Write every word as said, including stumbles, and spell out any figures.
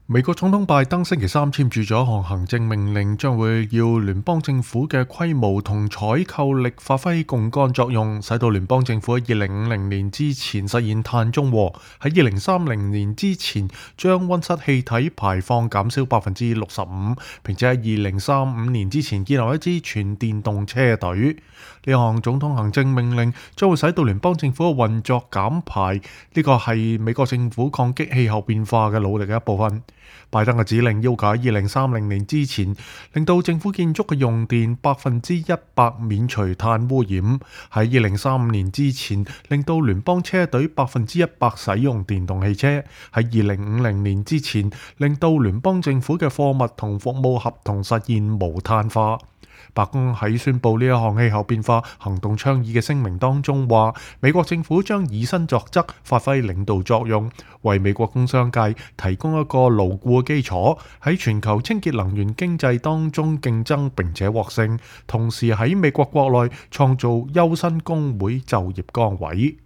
美國總統拜登星期三簽署咗一項行政命令，將會要聯邦政府嘅規模同採購力發揮槓桿作用，使到聯邦政府喺二零五零年之前實現碳中和，喺二零三零年之前將溫室氣體排放減少百分之六十五，並且喺二零三五年之前建立一支全電動車隊。呢項總統行政命令將會使到聯邦政府嘅運作減排，呢個係美國政府抗擊氣候變化嘅努力嘅一部分。拜登嘅指令要求喺二零三零年之前，令到政府建築嘅用電百分之一百免除碳污染；喺二零三五年之前，令到聯邦車隊百分之一百使用電動汽車；喺二零五零年之前，令到聯邦政府嘅貨物同服務合同實現無碳化。白宮喺宣布呢一項氣候變化行動倡議嘅聲明當中話，美國政府將以身作則，發揮領導作用，為美國工商界提供一個牢固嘅基礎，喺全球清潔能源經濟當中競爭並且獲勝，同時喺美國國內創造優薪工會就業崗位。